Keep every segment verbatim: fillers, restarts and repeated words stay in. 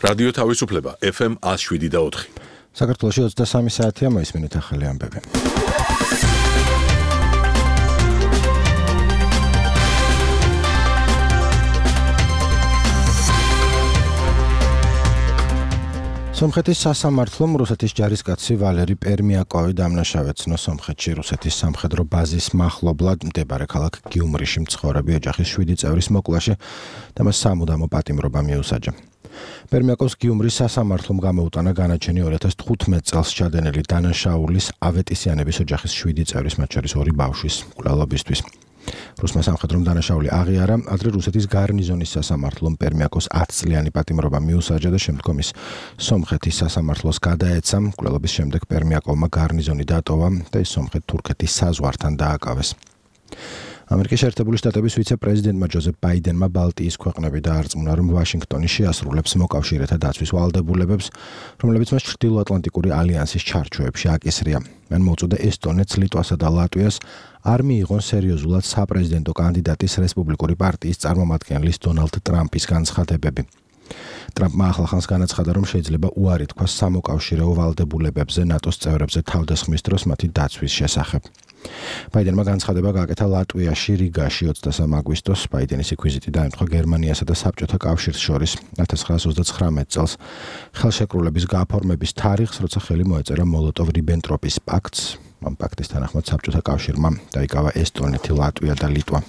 რადიო თავისუფლება ეფ ემ ათს შვიდი და ოთხი. საქართველოში ოცდასამი საათია მოისმინეთ ახალი ამბები. სომხეთის სასამართლომ რუსეთის ჯარისკაცი ვალერი პერმიაკოვი დამნაშავეცნო სომხეთში რუსეთის სამხედრო ბაზის მახლობლად მდებარე ქალაქ გიუმრიში მცხოვრები ოჯახის შვიდი წევრის მოკლაში და მას სამუდამო პატიმრობა მიუსაჯა. პერმიაკოვს გიუმრის სასამართლომ გამოუტანა განაჩენი ორი ათას თხუთმეტ წელს ჩადენილი დანაშაულის ავეტისიანების ოჯახის შვიდი წევრის, მათ შორის ორი ბავშვის მკვლელობისთვის. რუსმა სამხედრომ დანაშაული აღიარა, ადრე რუსეთის გარნიზონის სასამართლომ პერმიაკოვს ათწლიანი პატიმრობა მიუსაჯა და შემდგომ ის სომხეთის სასამართლოს გადაეცა. მკვლელობის შემდეგ პერმიაკოვმა გარნიზონი დატოვა და ის სომხეთ-თურქეთის საზღვართან დააკავეს. ამერიკის შეერთებული შტატების ვიცე-პრეზიდენტმა ჯოზეფ ბაიდენმა ბალტიის ქვეყნები დაარწმუნა, რომ ვაშინგტონი შეასრულებს მოკავშირეთა დაცვის ვალდებულებებს, რომლებიც მას ჩრდილოატლანტიკური ალიანსის ჩარჩოებში აკისრია. მან მოუწოდა ესტონეთს, ლიტვასა და ლატვიას არ მიიღონ სერიოზულად საპრეზიდენტო კანდიდატის რესპუბლიკური პარტიის წარმომადგენლის დონალდ ტრამპის განცხადებები. ტრამპმა ახლახანს განაცხადა, რომ შეიძლება უარი თქვას სამოკავშირეო ვალდებულებებზე ნატოს წევრებზე თავდასხმის დროს მათი დაცვის შესახებ. ბაიდენმა განცხადება გააკეთა ლატვიაში, რიგაში ოცდასამი აგვისტოს. ბაიდენის ვიზიტი დაემთხვა გერმანიასა და საბჭოთა კავშირს შორის ათას ცხრაას ოცდაცხრამეტ წელს ხელშეკრულების გაფორმების თარიღს, როცა ხელი მოეწერა მოლოტოვ-რიბენტროპის პაქტს. ამ პაქტის თანახმად საბჭოთა კავშირმა დაიკავა ესტონეთი, ლატვია და ლიტვა.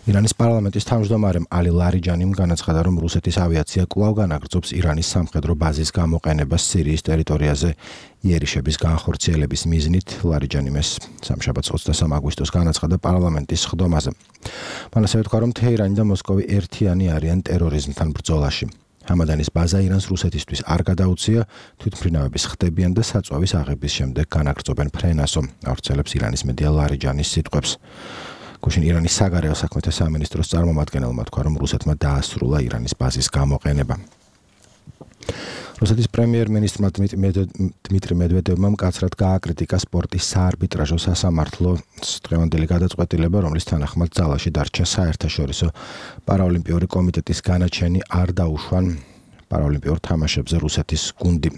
ირანის პარლამენტის თავმჯდომარემ ალი ლარიჯანიმ განაცხადა, რომ რუსეთის ავიაცია კვლავ განაგრძობს ირანის სამხედრო ბაზის გამოყენებას სირიის ტერიტორიაზე იერიშების განხორციელების მიზნით. ლარიჯანიმ ეს სამშაბათს ოცდასამი აგვისტოს განაცხადა პარლამენტის სხდომაზე. მან ასევე თქვა, რომ თეირანი და მოსკოვი ერთიანი არიან ტერორიზმთან ბრძოლაში. ჰამადანის ბაზა ირანს რუსეთისთვის არ გადაუცია, თვითმფრინავების ხდებიან და საწვავის აღების შემდეგ განაგრძობენ ფრენასო, ავრცელებს ირანის მედია ლარიჯანის სიტყვებს. გუშინ ირანის საგარეო საქმეთა სამინისტროს წარმომადგენელმა თქვა, რომ რუსეთმა დაასრულა ირანის ბაზის გამოყენება. რუსეთის პრემიერ-მინისტრმა დმიტრი მედვედევმა მკაცრად გააკრიტიკა სპორტის საარბიტრაჟო სასამართლოს დღევანდელი გადაწყვეტილება, რომლის თანახმად ძალაში დარჩა საერთაშორისო პარაოლიმპიური კომიტეტის განაჩენი არ დაუშვან პარაოლიმპიურ თამაშებზე რუსეთის გუნდი.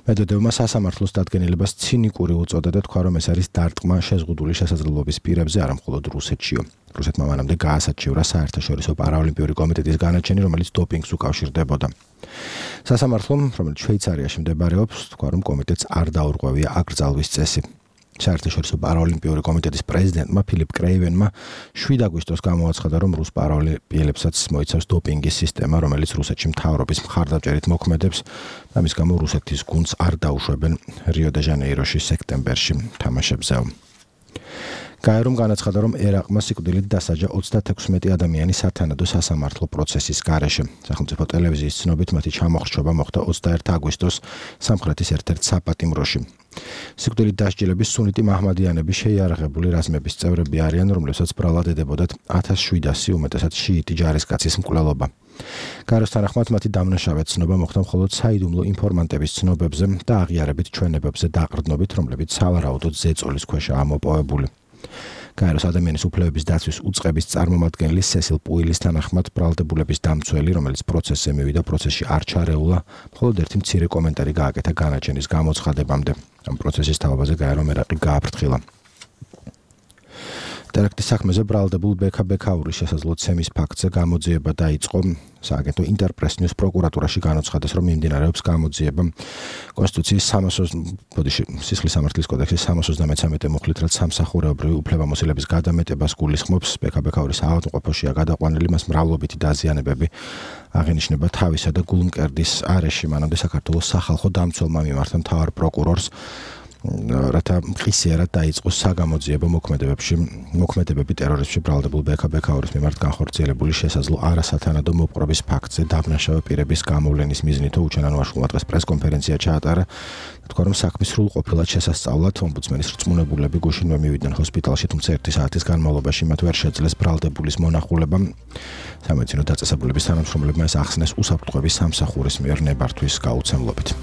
მედვედევმა სასამართლოს დადგენილებას ცინიკური უწოდა და თქვა, რომ ეს არის დარტყმა შეზღუდული შესაძლებლობის პირებზე, არა მხოლოდ რუსეთშიო. რუსეთმა მანამდე გაასაჩივრა საერთაშორისო პარაოლიმპიური კომიტეტის განაჩენი, რომელიც დოპინგს უკავშირდებოდა. სასამართლომ, რომელიც შვეიცარიაში მდებარეობს, თქვა, რომ კომიტეტს არ დაურღვევია აკრძალვის წესი. საერთაშორისო პარაოლიმპიური კომიტეტის პრეზიდენტმა ფილიპ კრეივენმა შვიდი აგვისტოს გამოაცხადა, რომ რუს პარაოლიმპიელებსაც მოიცავს დოპინგის სისტემა, რომელიც რუსეთში მთავრობის მხარდაჭერით მოქმედებს. ამის გამო რუსეთის გუნდს არ დაუშვებენ რიო-დე-ჟანეიროში სექტემბერში თამაშებზე. გაერომ განაცხადა, რომ ერაყმა სიკვდილით დასაჯა ოცდათექვსმეტი ადამიანი სათანადო სასამართლო პროცესის გარეშე. სახელმწიფო ტელევიზიის ცნობით მათი ჩამოხრჩობა მოხდა ოცდაერთი აგვისტოს სამხრეთის ერთ-ერთ საპატიმროში. სიკვდილით დასჯილების სუნიტი მაჰმადიანები შეიარაღებული რაზმების წევრები არიან, რომლებსაც ბრალად ედებოდათ ათას შვიდასი უმეტესად შიიტი ჯარისკაცის მკვლელობა. გაეროს თანახმად მათი დამნაშავეცნობა მოხდა მხოლოდ საიდუმლო ინფორმანტების ცნობებზე და აღიარებით ჩვენებებზე დაყრდნობით, რომლებიც სავარაუდოდ ზეწოლის ქვეშაა მოპოვებული. გაეროს ადამიანის უფლებების დაცვის უწყების წარმომადგენელი სესილ პუილის თანახმად ბრალდებულების დამცველი, რომელიც პროცესზე მივიდა, პროცესში არ ჩარეულა, მხოლოდ ერთი მცირე კომენტარი გააკეთა განაჩენის გამოცხადებამდე. ამ პროცესის თავაზე გაერომ ერაყი გააფრთხილა. ტერაქტის საქმეზე ბრალდებულ ბექა ბექაურის შესაძლო ცემის ფაქტზე გამოძიება დაიწყო. სააგენტო ინტერპრეს ნიუს პროკურატურაში განაცხადეს, რომ მიმდინარეობს გამოძიება კონსტიტუციის სისხლის სამართლის კოდექსის სამას ოცდამეცამეტე მუხლით, რაც სამსახურეობრივი უფლებამოსილების გადამეტებას გულისხმობს. ბექა ბექაურის ავადმყოფოშია გადაყვანილი, მას მრავლობითი დაზიანებები აღენიშნება თავისა და გულმკერდის არეში. მანამდე საქართველოს სახალხო დამცველმა მიმართა მთავარ პროკურორს რათა მყისიერად დაიწყოს საგამოძიებო მოქმედებებში მოქმედებები ტერორიზმში ბრალდებულ ბექა ბექაურის მიმართ განხორციელებული შესაძლო არასათანადო მოპყრობის ფაქტზე დაბნაშავე პირების გამოვლენის მიზნით უჩვენანვაშულმა დღეს პრესკონფერენცია ჩაატარა. თქვა, რომ საქმის სრულყოფილად შესასწავლად ომბუდსმენის რწმუნებულები გუშინვე მივიდნენ ჰოსპიტალში, თუმცა ერთი საათის განმავლობაში მათ ვერ შეძლეს ბრალდებულის მონახულება. სამედიცინო დაწესებულების თანამშრომლებმა ეს ახსნეს უსაფრთხოების სამსახურის მიერ ნებართვის გაუცემლობით.